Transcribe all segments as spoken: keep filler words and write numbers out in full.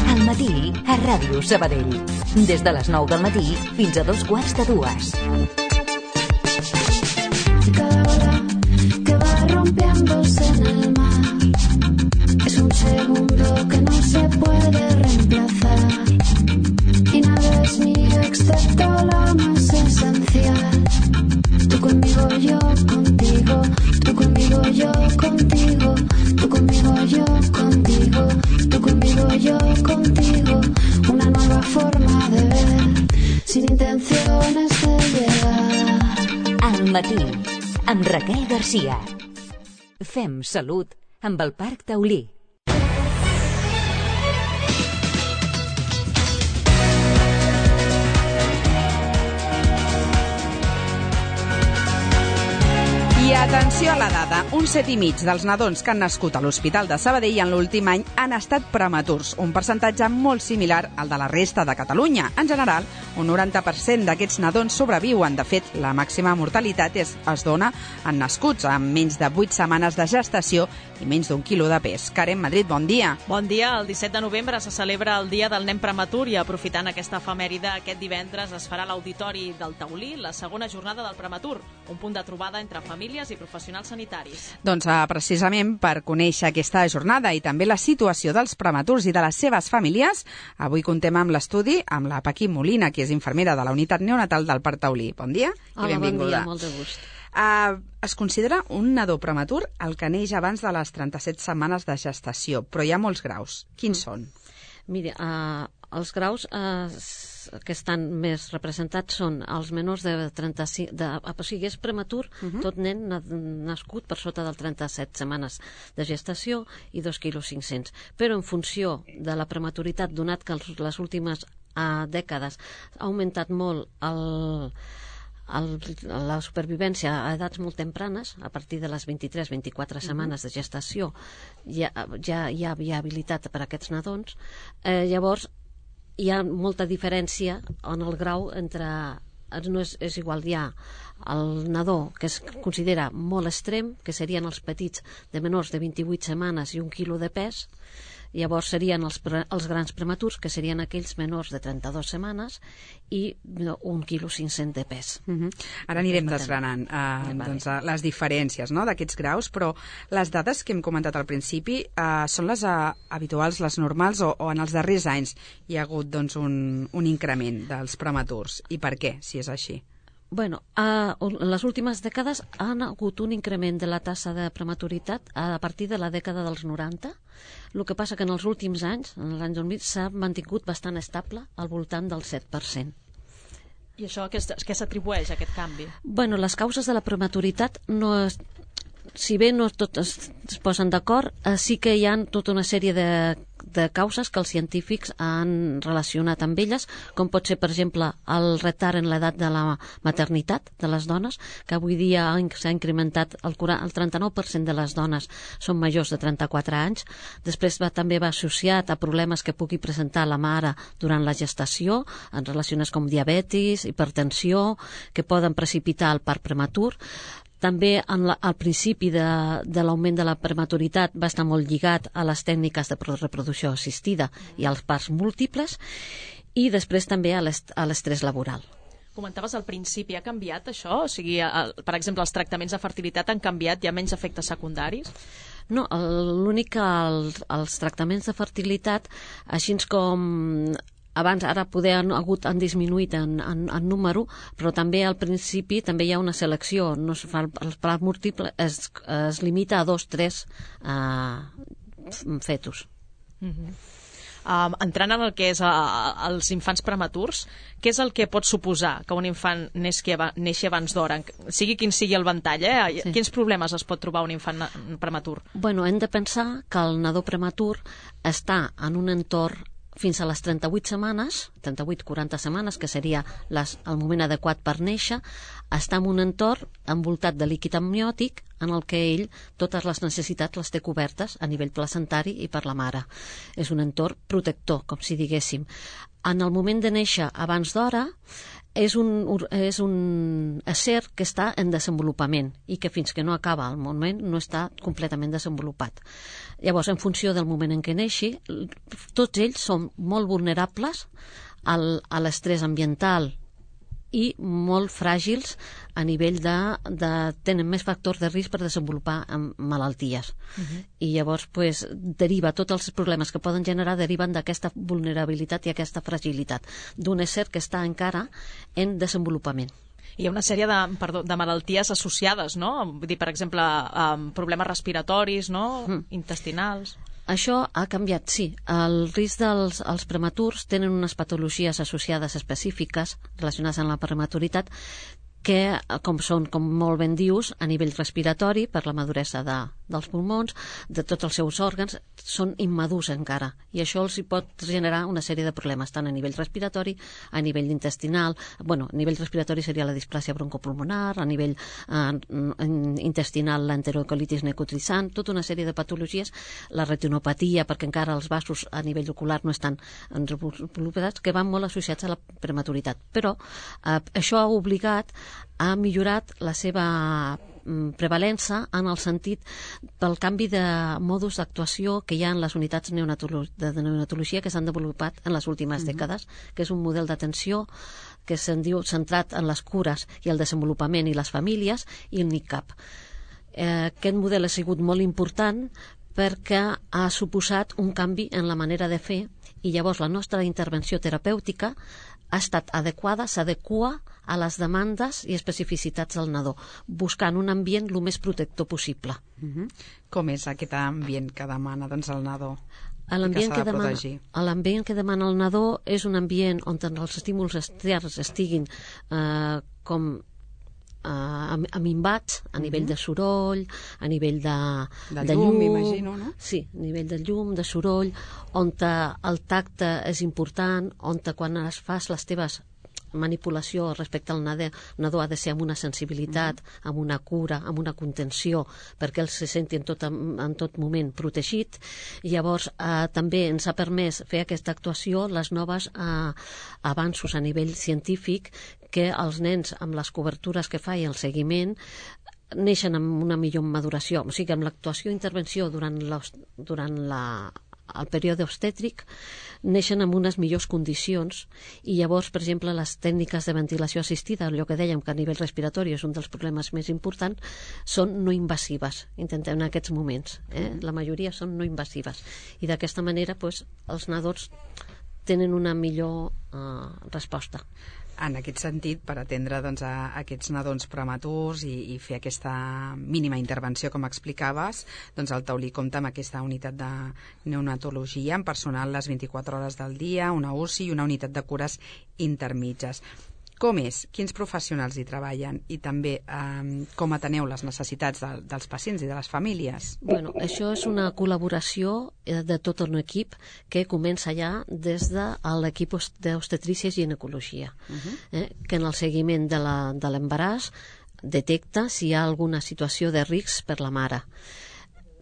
Al matí, a Ràdio Sabadell. Des de les nou del matí fins a dos quarts de dues. Cada ola que va rompiéndose en el mar es un segundo que no se puede reemplazar y nada es mío excepto lo más esencial. Tú conmigo, yo contigo, tú conmigo, yo contigo, tú conmigo, yo contigo, tú conmigo, yo contigo, una nueva forma de ver, sin intenciones de llegar. Al matí, amb Raquel Garcia. Fem salut amb el Parc Taulí. I atenció a la dada, un set i mig dels nadons que han nascut a l'Hospital de Sabadell en l'últim any han estat prematurs, un percentatge molt similar al de la resta de Catalunya. En general, un noranta per cent d'aquests nadons sobreviuen. De fet, la màxima mortalitat es, es dona en nascuts amb menys de vuit setmanes de gestació i menys d'un quilo de pes. Karen Madrid, bon dia. Bon dia. El disset de novembre se celebra el Dia del Nen Prematur i aprofitant aquesta efemèride, aquest divendres es farà a l'Auditori del Taulí la segona jornada del prematur, un punt de trobada entre famílies i professionals sanitaris. Doncs eh, precisament per conèixer aquesta jornada i també la situació dels prematurs i de les seves famílies, avui contem amb l'estudi amb la Paqui Molina, que és infermera de la unitat neonatal del Parc Taulí. Bon dia i Hola, benvinguda. Bon dia, molt de gust. Uh, es considera un nadó prematur el que neix abans de les trenta-set setmanes de gestació, però hi ha molts graus. Quins mm. són? Mira, uh, els graus uh, que estan més representats són els menors de trenta-cinc... De, o sigui, és prematur uh -huh. tot nen nascut per sota del trenta-set setmanes de gestació i dos quilos cinc-cents. Però en funció de la prematuritat, donat que els, les últimes uh, dècades ha augmentat molt el... El, la supervivència a edats molt tempranes, a partir de les vint-i-tres vint-i-quatre setmanes de gestació, ja, ja hi ha viabilitat per a aquests nadons. Eh, llavors, hi ha molta diferència en el grau entre... No és, és igual, hi ha el nadó que es considera molt extrem, que serien els petits de menors de vint-i-vuit setmanes i un quilo de pes. Llavors serien els, els grans prematurs, que serien aquells menors de trenta-dues setmanes i un quilo cinc-cents de pes. Uh -huh. Ara anirem desgranant uh, doncs, uh, les diferències, no?, d'aquests graus, però les dades que hem comentat al principi uh, són les uh, habituals, les normals, o, o en els darrers anys hi ha hagut doncs, un, un increment dels prematurs. I per què, si és així? Bueno, uh, en les últimes dècades han hagut un increment de la tassa de prematuritat a partir de la dècada dels noranta. El que passa que en els últims anys, en l'any dos mil, s'ha mantingut bastant estable al voltant del set per cent. I això a què s'atribueix, aquest canvi? Bueno, les causes de la prematuritat no es... Si bé no totes es posen d'acord, eh, sí que hi ha tota una sèrie de, de causes que els científics han relacionat amb elles, com pot ser, per exemple, el retard en l'edat de la maternitat de les dones, que avui dia s'ha incrementat, el, el trenta-nou per cent de les dones són majors de trenta-quatre anys. Després va, també va associat a problemes que pugui presentar la mare durant la gestació, en relacions com diabetis, hipertensió, que poden precipitar el part prematur. També en la, al principi de, de l'augment de la prematuritat va estar molt lligat a les tècniques de reproducció assistida i als parts múltiples, i després també a l'estrès laboral. Comentaves al principi, ha canviat això? O sigui, el, per exemple, els tractaments de fertilitat han canviat, hi ha menys efectes secundaris? No, l'únic que els, els tractaments de fertilitat, així com... Abans, ara poder han hagut, han disminuït en, en, en número, però també al principi també hi ha una selecció. No es fa, el part múltiple es, es limita a dos, tres uh, fetus. Uh -huh. um, entrant en el que és uh, els infants prematurs, què és el que pot suposar que un infant neixi, neixi abans d'hora? Sigui quin sigui el ventall, eh? Sí. Quins problemes es pot trobar un infant prematur? Bueno, hem de pensar que el nadó prematur està en un entorn fins a les trenta-vuit setmanes, trenta-vuit a quaranta setmanes, que seria les, el moment adequat per néixer, està en un entorn envoltat de líquid amniòtic en el que ell totes les necessitats les té cobertes a nivell placentari i per la mare. És un entorn protector, com si diguéssim. en el moment de néixer abans d'hora, és un, és un ésser que està en desenvolupament i que fins que no acaba el moment no està completament desenvolupat. Llavors, en funció del moment en què neixi, tots ells són molt vulnerables al, a l'estrès ambiental i molt fràgils a nivell de, de tenen més factors de risc per desenvolupar malalties. Uh-huh. I llavors pues, deriva, tots els problemes que poden generar deriven d'aquesta vulnerabilitat i aquesta fragilitat d'un ésser que està encara en desenvolupament. Hi ha una sèrie de, perdó, de malalties associades, no? Vull dir, per exemple, um, problemes respiratoris, no? Mm. Intestinals. Això ha canviat, sí. El risc dels els prematurs tenen unes patologies associades específiques relacionades amb la prematuritat que, com són, com molt ben dius, a nivell respiratori, per la maduresa de, dels pulmons, de tots els seus òrgans, són immadurs encara. I això els hi pot generar una sèrie de problemes, tant a nivell respiratori, a nivell intestinal. Bueno, a nivell respiratori seria la displàsia broncopulmonar, a nivell eh, intestinal l'enterocolitis necrotizant, tota una sèrie de patologies, la retinopatia, perquè encara els vasos a nivell ocular no estan desenvolupats, que van molt associats a la prematuritat. Però eh, això ha obligat ha millorat la seva prevalença en el sentit pel canvi de modus d'actuació que hi ha en les unitats neonatolo de neonatologia que s'han desenvolupat en les últimes mm-hmm. dècades, que és un model d'atenció que se'n diu centrat en les cures i el desenvolupament i les famílies i el N I C A P. Eh, aquest model ha sigut molt important perquè ha suposat un canvi en la manera de fer i llavors la nostra intervenció terapèutica ha estat adequada, s'adequa a les demandes i especificitats del nadó, buscant un ambient el més protector possible. Uh-huh. Com és aquest ambient que demana doncs, el nadó? L'ambient que, que, demana, que demana el nadó és un ambient on els estímuls externs estiguin eh, com Uh, aminvats a nivell uh-huh. de soroll, a nivell de, de, de llum, llum, m'imagino, no? Sí, a nivell de llum, de soroll, on el tacte és important, on quan es fas les teves manipulació respecte al nadó, nadó ha de ser amb una sensibilitat, uh-huh. amb una cura, amb una contenció, perquè ell se senti en tot, en tot moment protegit. I llavors eh, també ens ha permès fer aquesta actuació les noves eh, avanços a nivell científic que els nens amb les cobertures que fa i el seguiment neixen amb una millor maduració, o sigui, amb l'actuació i intervenció durant, durant la el període obstètric neixen amb unes millors condicions i llavors, per exemple, les tècniques de ventilació assistida, allò que dèiem que a nivell respiratori és un dels problemes més importants, són no invasives, intentem en aquests moments, eh? La majoria són no invasives i d'aquesta manera pues, els nadons tenen una millor eh, resposta. En aquest sentit, per atendre doncs, a aquests nadons prematurs i, i fer aquesta mínima intervenció, com explicaves, doncs el taulí compta amb aquesta unitat de neonatologia amb personal les vint-i-quatre hores del dia, una U C I i una unitat de cures intermitges. Com és? Quins professionals hi treballen? I també eh, com ateneu les necessitats de, dels pacients i de les famílies? Bueno, això és una col·laboració de tot un equip que comença ja des de l'equip d'obstetrícia i ginecologia, uh-huh. eh, que en el seguiment de l'embaràs detecta si hi ha alguna situació de risc per la mare.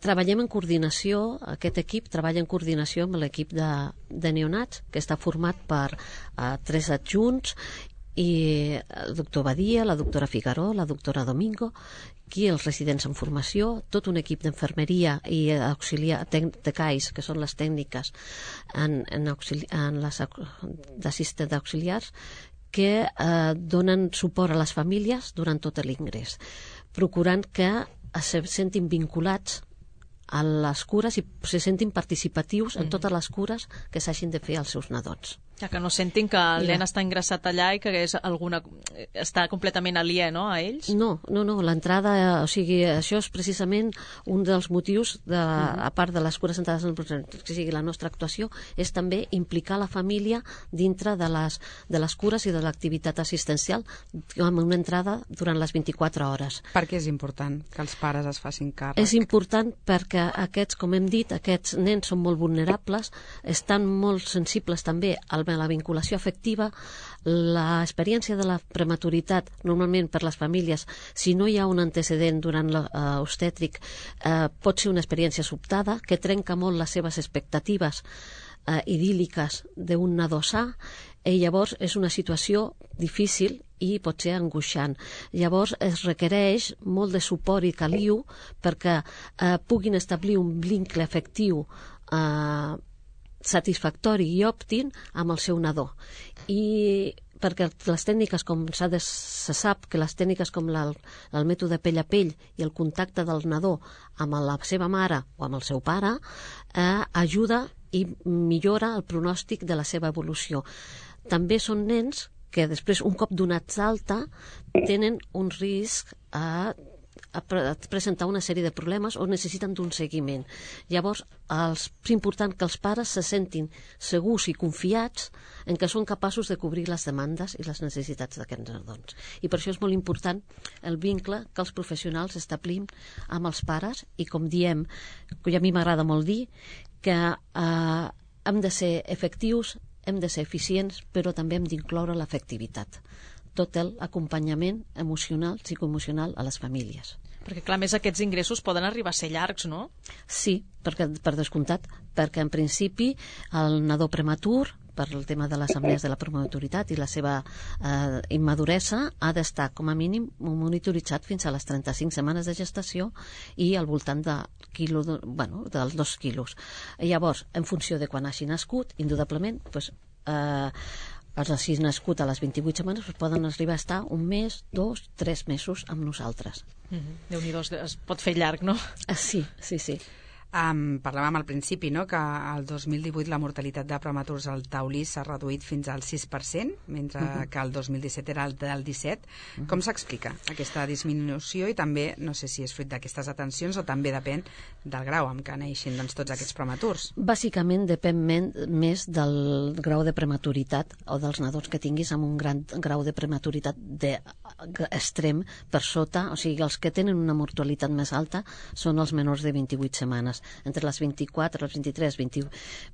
Treballem en coordinació, aquest equip treballa en coordinació amb l'equip de, de neonats, que està format per eh, tres adjunts i el doctor Badia, la doctora Figaró, la doctora Domingo, aquí els residents en formació, tot un equip d'infermeria i auxiliar, tecais, que són les tècniques en, en, auxili, en les d'assistent auxiliars, que eh, donen suport a les famílies durant tot l'ingrés, procurant que se sentin vinculats a les cures i se sentin participatius en totes les cures que s'hagin de fer als seus nadons. Ja que no sentin que el nen està ingressat allà i que és alguna, està completament aliè, no, a ells? No, no, no, l'entrada, o sigui, això és precisament un dels motius, de, a part de les cures centrades en el que sigui la nostra actuació, és també implicar la família dintre de les, de les cures i de l'activitat assistencial amb una entrada durant les vint-i-quatre hores. Per què és important que els pares es facin càrrec? És important perquè aquests, com hem dit, aquests nens són molt vulnerables, estan molt sensibles també al la vinculació afectiva, l'experiència de la prematuritat, normalment per les famílies, si no hi ha un antecedent durant l'obstètric, eh, pot ser una experiència sobtada que trenca molt les seves expectatives eh, idíl·liques d'un nadó sa, i llavors és una situació difícil i pot ser angoixant. Llavors es requereix molt de suport i caliu perquè eh, puguin establir un vincle afectiu eh, satisfactori i òptim amb el seu nadó. I perquè les tècniques, com s'ha de, se sap que les tècniques com la, el mètode pell a pell i el contacte del nadó amb la seva mare o amb el seu pare eh, ajuda i millora el pronòstic de la seva evolució. També són nens que després, un cop donats d'alta, tenen un risc a, a, pre a presentar una sèrie de problemes o necessiten d'un seguiment. Llavors, és important que els pares se sentin segurs i confiats en que són capaços de cobrir les demandes i les necessitats d'aquests nadons. I per això és molt important el vincle que els professionals establim amb els pares i, com diem, que a mi m'agrada molt dir, que eh, hem de ser efectius, hem de ser eficients, però també hem d'incloure l'efectivitat. Tot l'acompanyament emocional, psicoemocional a les famílies. Perquè, clar, més aquests ingressos poden arribar a ser llargs, no? Sí, perquè, per descomptat, perquè en principi el nadó prematur, per el tema de les assemblées de la prematuritat i la seva eh, immaduresa, ha d'estar com a mínim monitoritzat fins a les trenta-cinc setmanes de gestació i al voltant de quilo, de, bueno, dels dos quilos. Llavors, en funció de quan hagi nascut, indudablement, doncs, eh, els hagi nascut a les vint-i-vuit setmanes doncs poden arribar a estar un mes, dos, tres mesos amb nosaltres. Mm-hmm. Déu-n'hi-do, es pot fer llarg, no? Ah, sí, sí, sí. Um, parlàvem al principi, no?, que el dos mil divuit la mortalitat de prematurs al taulí s'ha reduït fins al sis per cent, mentre uh-huh. que el dos mil disset era el del disset. Uh-huh. Com s'explica aquesta disminució? I també, no sé si és fruit d'aquestes atencions o també depèn del grau amb què neixin, doncs, tots aquests prematurs. Bàsicament depèn men més del grau de prematuritat o dels nadons que tinguis amb un gran grau de prematuritat de extrem per sota, o sigui, els que tenen una mortalitat més alta són els menors de vint-i-vuit setmanes. Entre les vint-i-quatre, les vint-i-tres, vint,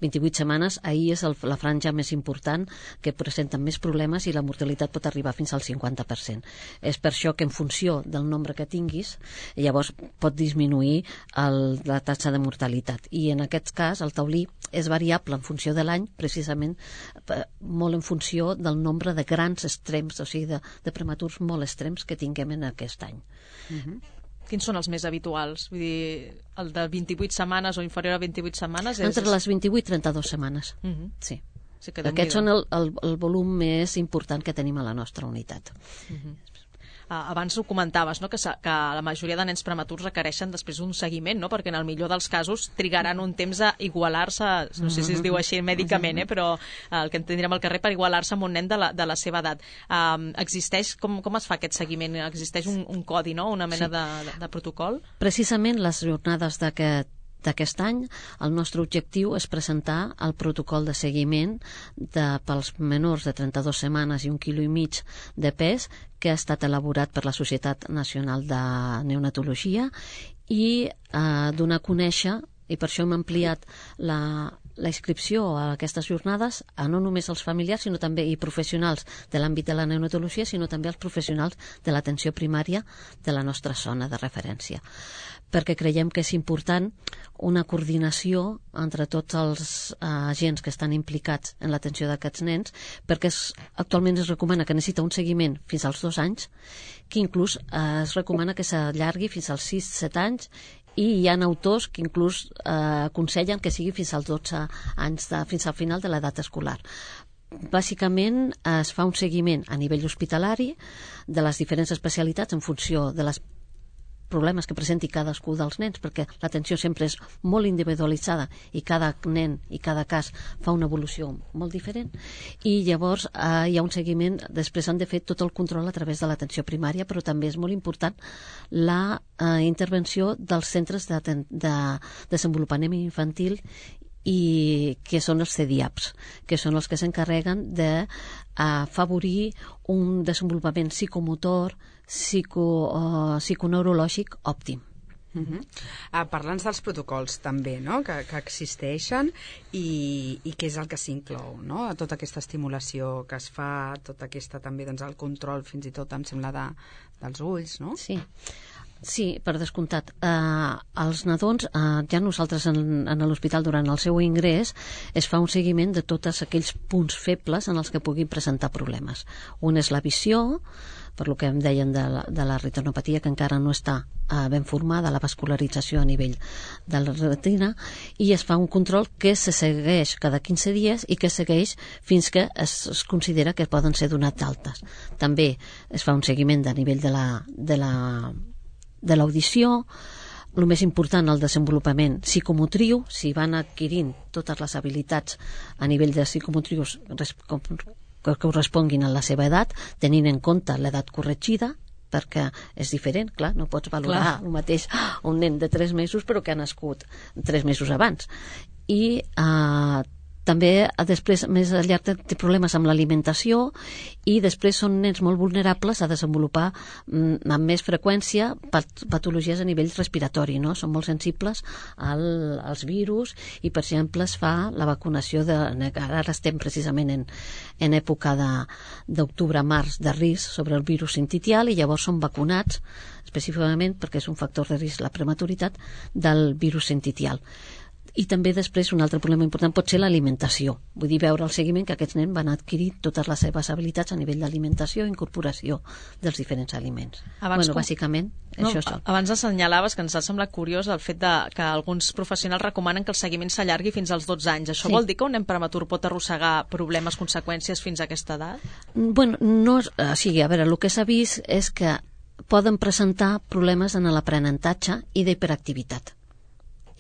vint-i-vuit setmanes, ahir és el, la franja més important, que presenten més problemes i la mortalitat pot arribar fins al cinquanta per cent. És per això que en funció del nombre que tinguis, llavors pot disminuir el, la taxa de mortalitat. I en aquest cas el taulí és variable en funció de l'any, precisament molt en funció del nombre de grans extrems, o sigui, de, de prematurs molt extrems que tinguem en aquest any. Uh-huh. Quins són els més habituals? Vull dir, el de vint-i-vuit setmanes o inferior a vint-i-vuit setmanes? És... Entre les vint-i-vuit i trenta-dues setmanes, uh-huh. sí. sí que Aquests són el, el, el volum més important que tenim a la nostra unitat. Uh-huh. Uh, abans ho comentaves, no?, que, que la majoria de nens prematurs requereixen després un seguiment, no?, perquè en el millor dels casos trigaran un temps a igualar-se, no sé si es diu així mèdicament, eh, però uh, el que entendríem al carrer, per igualar-se amb un nen de la, de la seva edat. Um, existeix, com, com es fa aquest seguiment? Existeix un, un codi, no?, una mena sí. de, de, de protocol? Precisament les jornades d'aquest d'aquest any, el nostre objectiu és presentar el protocol de seguiment de, pels menors de trenta-dues setmanes i un quilo i mig de pes, que ha estat elaborat per la Societat Nacional de Neonatologia, i eh, donar a conèixer, i per això hem ampliat la, la inscripció a aquestes jornades a no només als familiars sinó també i professionals de l'àmbit de la neonatologia, sinó també als professionals de l'atenció primària de la nostra zona de referència, perquè creiem que és important una coordinació entre tots els eh, agents que estan implicats en l'atenció d'aquests nens, perquè es, actualment es recomana que necessita un seguiment fins als dos anys, que inclús eh, es recomana que s'allargui fins als sis set anys, i hi ha autors que inclús eh, aconsellen que sigui fins als dotze anys, de, fins al final de l'edat escolar. Bàsicament es fa un seguiment a nivell hospitalari de les diferents especialitats en funció de les problemes que presenti cadascú dels nens, perquè l'atenció sempre és molt individualitzada i cada nen i cada cas fa una evolució molt diferent, i llavors eh, hi ha un seguiment. Després han de fer tot el control a través de l'atenció primària, però també és molt important la eh, intervenció dels centres de, de desenvolupament infantil, i que són els C D I A Ps, que són els que s'encarreguen de afavorir un desenvolupament psicomotor, psico, uh, psiconeurològic òptim. Uh-huh. uh, Parlant dels protocols també, no?, que, que existeixen, i, i què és el que s'inclou, no?, a tota aquesta estimulació que es fa, tota aquesta també, doncs, el control fins i tot em sembla de, dels ulls, no? Sí. Sí, per descomptat. Uh, els nadons, uh, ja nosaltres en, en l'hospital durant el seu ingrés es fa un seguiment de tots aquells punts febles en els que puguin presentar problemes. Un és la visió, per lo que em deien de la, de la retinopatia, que encara no està uh, ben formada, la vascularització a nivell de la retina, i es fa un control que se segueix cada quinze dies i que segueix fins que es, es considera que poden ser donat d'altes. També es fa un seguiment a nivell de la, de la de l'audició, el més important, el desenvolupament psicomotriu, si van adquirint totes les habilitats a nivell de psicomotrius que corresponguin a la seva edat, tenint en compte l'edat corregida, perquè és diferent, clar, no pots valorar clar. El mateix un nen de tres mesos però que ha nascut tres mesos abans. I eh, també després més a llarg té problemes amb l'alimentació i després són nens molt vulnerables a desenvolupar mm, amb més freqüència pat patologies a nivell respiratori, no? Són molt sensibles al, als virus i per exemple es fa la vacunació de, ara estem precisament en, en època d'octubre-març de risc sobre el virus sincitial i llavors són vacunats específicament perquè és un factor de risc la prematuritat del virus sincitial. I també després un altre problema important pot ser l'alimentació, vull dir veure el seguiment que aquests nens van adquirir totes les seves habilitats a nivell d'alimentació i incorporació dels diferents aliments. Abans bueno, com... bàsicament no, això és tot. Abans assenyalaves que ens ha semblat curiós el fet de que alguns professionals recomanen que el seguiment s'allargui fins als dotze anys. Això sí. Vol dir que un nen prematur pot arrossegar problemes, conseqüències fins a aquesta edat? Bueno, no, o sigui, a veure, el que s'ha vist és que poden presentar problemes en l'aprenentatge i d'hiperactivitat.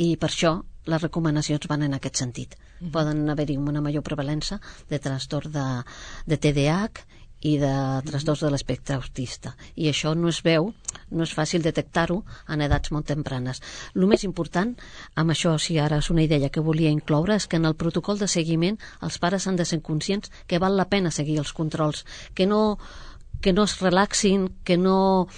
I per això les recomanacions van en aquest sentit. Uh-huh. Poden haver-hi una major prevalença de trastorn de, de T D A H i de trastorns de l'espectre autista. I això no es veu, no és fàcil detectar-ho en edats molt tempranes. El més important, amb això, si ara és una idea que volia incloure, és que en el protocol de seguiment els pares han de ser conscients que val la pena seguir els controls, que no, que no es relaxin, que no...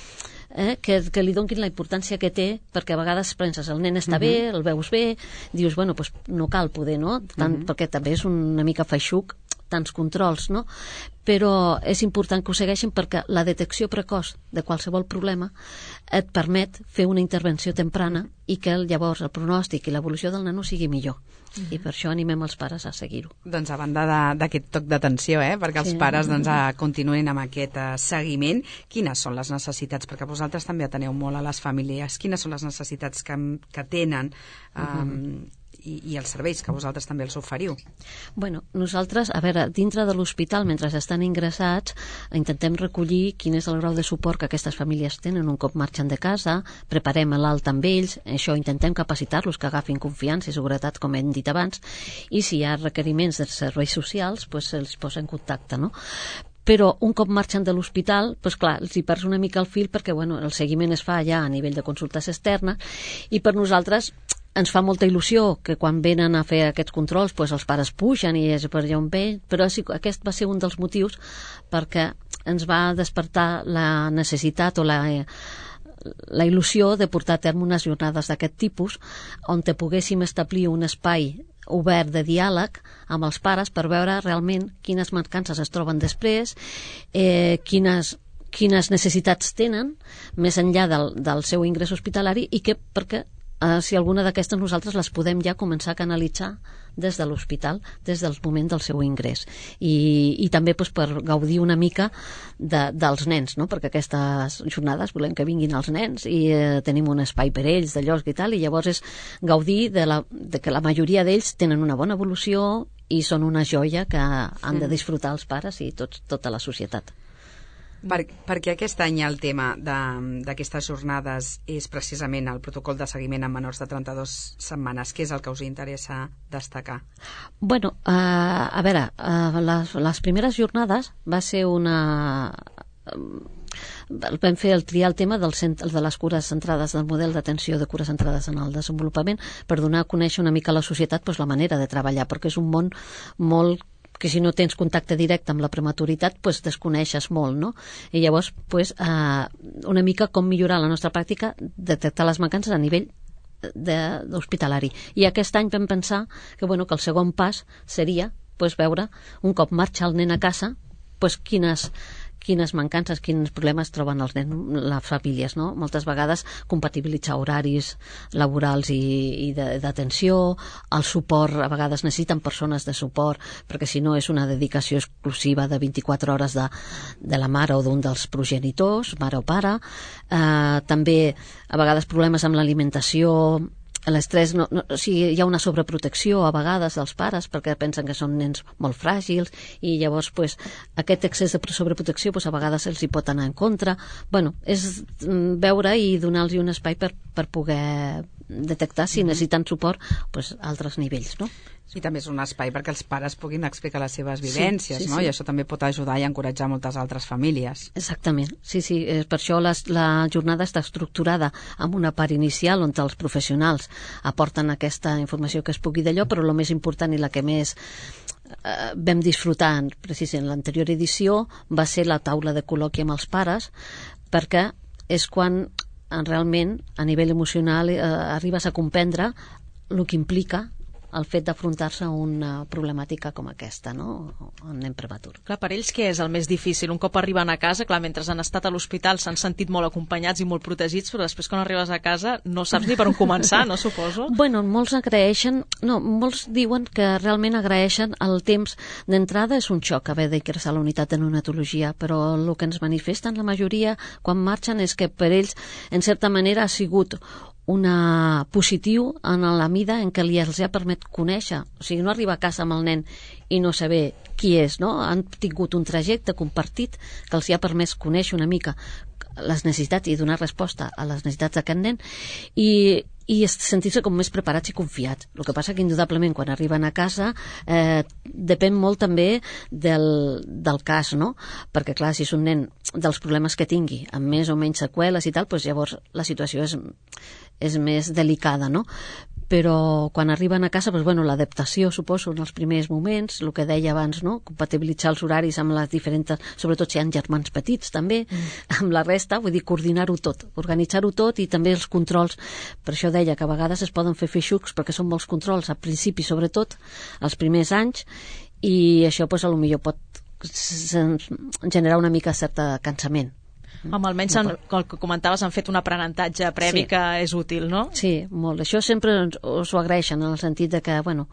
Eh, que, que li donin la importància que té, perquè a vegades penses, el nen està uh-huh. bé, el veus bé, dius, bueno, pues no cal poder, no? Tant, uh-huh. perquè també és una mica feixuc tants controls, no? Però és important que ho segueixin perquè la detecció precoç de qualsevol problema et permet fer una intervenció temprana i que llavors el pronòstic i l'evolució del nano sigui millor. Uh-huh. I per això animem els pares a seguir-ho. Doncs a banda d'aquest toc d'atenció, eh, perquè els sí. pares doncs, continuïn amb aquest uh, seguiment, quines són les necessitats? Perquè vosaltres també ateneu molt a les famílies. Quines són les necessitats que, que tenen um, uh-huh. i, i els serveis que vosaltres també els oferiu? Bueno, nosaltres, a veure, dintre de l'hospital, mentre estan ingressats, intentem recollir quin és el grau de suport que aquestes famílies tenen un cop marxen de casa, preparem l'alta amb ells, això intentem capacitar-los que agafin confiança i seguretat, com hem dit abans, i si hi ha requeriments de serveis socials, pues se'ls posa en contacte, no? Però un cop marxen de l'hospital, doncs clar, els hi perds una mica el fil perquè bueno, el seguiment es fa ja a nivell de consultes externes i per nosaltres ens fa molta il·lusió que quan venen a fer aquests controls doncs els pares pugen i és per allà on ve, però sí, aquest va ser un dels motius perquè ens va despertar la necessitat o la, la il·lusió de portar a terme unes jornades d'aquest tipus on te poguéssim establir un espai obert de diàleg amb els pares per veure realment quines mancances es troben després, eh, quines quines necessitats tenen més enllà del, del seu ingrés hospitalari i que perquè Uh, si alguna d'aquestes nosaltres les podem ja començar a canalitzar des de l'hospital, des del moment del seu ingrés. I, i també doncs, per gaudir una mica de, dels nens, no? Perquè aquestes jornades volem que vinguin els nens i eh, tenim un espai per ells de lloc i tal, i llavors és gaudir de, la, de que la majoria d'ells tenen una bona evolució i són una joia que han de disfrutar els pares i tots, tota la societat. Per, perquè aquest any el tema d'aquestes jornades és precisament el protocol de seguiment amb menors de trenta-dues setmanes. Què és el que us interessa destacar? Bueno, uh, a veure, uh, les, les primeres jornades va ser una... Uh, vam fer el triar el tema del centre, de les cures centrades, del model d'atenció de cures centrades en el desenvolupament, per donar a conèixer una mica a la societat doncs, la manera de treballar, perquè és un món molt que si no tens contacte directe amb la prematuritat pues desconeixes molt, no? I llavors pues, eh, una mica com millorar la nostra pràctica, detectar les mancances a nivell d'hospitalari. I aquest any vam pensar que, bueno, que el segon pas seria pues, veure, un cop marxa el nen a casa, pues, quines, quines mancances, quins problemes troben els nens, les famílies, no? Moltes vegades compatibilitzar horaris laborals i, i d'atenció, el suport, a vegades necessiten persones de suport, perquè si no és una dedicació exclusiva de vint-i-quatre hores de, de la mare o d'un dels progenitors, mare o pare. Eh, també a vegades problemes amb l'alimentació, l'estrès, no, no, o sigui, hi ha una sobreprotecció a vegades dels pares perquè pensen que són nens molt fràgils i llavors pues, aquest excés de sobreprotecció pues, a vegades els hi pot anar en contra. Bueno, és veure i donar-los un espai per, per poder detectar si necessiten suport pues, a altres nivells, no? I també és un espai perquè els pares puguin explicar les seves vivències, sí, sí, no? Sí. I això també pot ajudar i encoratjar moltes altres famílies. Exactament, sí, sí. Per això les, la jornada està estructurada amb una part inicial on els professionals aporten aquesta informació que es pugui d'allò, però el més important i la que més eh, vam disfrutar precisament en l'anterior edició va ser la taula de col·loqui amb els pares, perquè és quan realment a nivell emocional eh, arribes a comprendre el que implica el fet d'afrontar-se a una problemàtica com aquesta, no? Un nen prematur. Clar, per ells què és el més difícil? Un cop arriben a casa, clar, mentre han estat a l'hospital s'han sentit molt acompanyats i molt protegits, però després quan arribes a casa no saps ni per on començar, no suposo? Bueno, molts agraeixen, no, molts diuen que realment agraeixen el temps d'entrada. És un xoc haver d'ingressar a la unitat de neonatologia, però el que ens manifesten la majoria quan marxen és que per ells, en certa manera, ha sigut una positiu en la mida en què li els ha permet conèixer, o sigui, no arribar a casa amb el nen i no saber qui és, no? Han tingut un trajecte compartit que els ha permès conèixer una mica les necessitats i donar resposta a les necessitats d'aquest nen i, i sentir-se com més preparats i confiats. El que passa que indudablement quan arriben a casa eh, depèn molt també del, del cas, no? Perquè clar, si és un nen dels problemes que tingui amb més o menys seqüeles i tal, doncs llavors la situació és, és més delicada, no? Però quan arriben a casa, doncs, bueno, l'adaptació, suposo, en els primers moments, el que deia abans, no? Compatibilitzar els horaris amb les diferents, sobretot si hi ha germans petits, també, mm. amb la resta, vull dir, coordinar-ho tot, organitzar-ho tot i també els controls. Per això deia que a vegades es poden fer feixucs perquè són molts controls, al principi, sobretot, els primers anys, i això, doncs, potser pot generar una mica certa cansament. Home, almenys, en, el que comentaves, han fet un aprenentatge previ sí. que és útil, no? Sí, molt. Això sempre us ho agraeixen, en el sentit de que, bueno,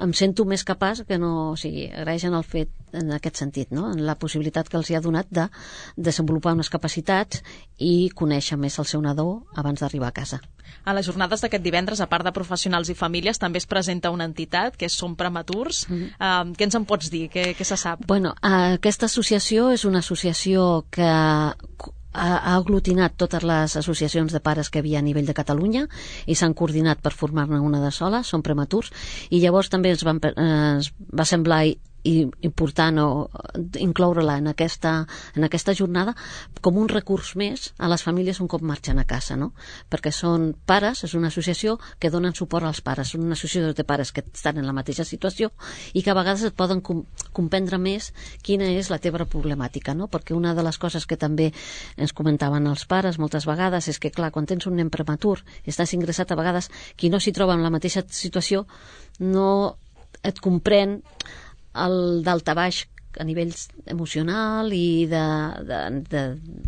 em sento més capaç que no... O sigui, agraeixen el fet en aquest sentit, no? En la possibilitat que els hi ha donat de desenvolupar unes capacitats i conèixer més el seu nadó abans d'arribar a casa. A les jornades d'aquest divendres, a part de professionals i famílies, també es presenta una entitat, que és Som Prematurs. Mm-hmm. Uh, què ens en pots dir? Què, què se sap? Bueno, aquesta associació és una associació que ha aglutinat totes les associacions de pares que hi havia a nivell de Catalunya i s'han coordinat per formar-ne una de sola, Som Prematurs, i llavors també ens, van, ens va semblar i important o incloure-la en aquesta, en aquesta jornada com un recurs més a les famílies un cop marxen a casa, no? Perquè són pares, és una associació que donen suport als pares, són una associació de pares que estan en la mateixa situació i que a vegades et poden com, comprendre més quina és la teva problemàtica, no? Perquè una de les coses que també ens comentaven els pares moltes vegades és que, clar, quan tens un nen prematur i estàs ingressat, a vegades qui no s'hi troba en la mateixa situació no et comprèn el daltabaix a nivell emocional i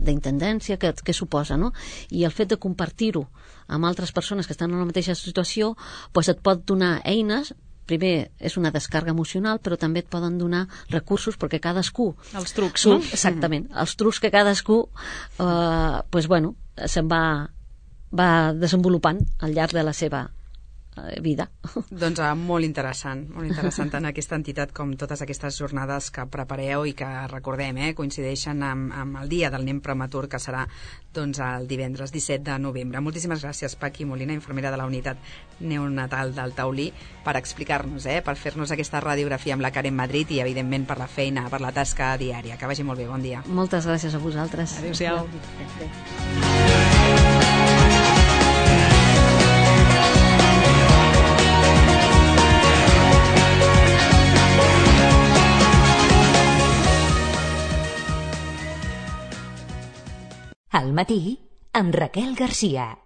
d'intendència que, que suposa, no? I el fet de compartir-ho amb altres persones que estan en la mateixa situació doncs et pot donar eines. Primer és una descàrrega emocional, però també et poden donar recursos perquè cadascú... Els trucs, no? Exactament. Els trucs que cadascú eh, doncs, bueno, se'n va, va desenvolupant al llarg de la seva vida. Doncs uh, molt interessant, molt interessant tant aquesta entitat com totes aquestes jornades que prepareu i que recordem, eh, coincideixen amb, amb el dia del nen prematur que serà doncs, el divendres disset de novembre. Moltíssimes gràcies, Paqui Molina, infermera de la unitat neonatal del Taulí, per explicar-nos, eh, per fer-nos aquesta radiografia amb la Karen Madrid i evidentment per la feina, per la tasca diària. Que vagi molt bé, bon dia. Moltes gràcies a vosaltres. Adéu-siau. Al matí, amb Raquel Garcia.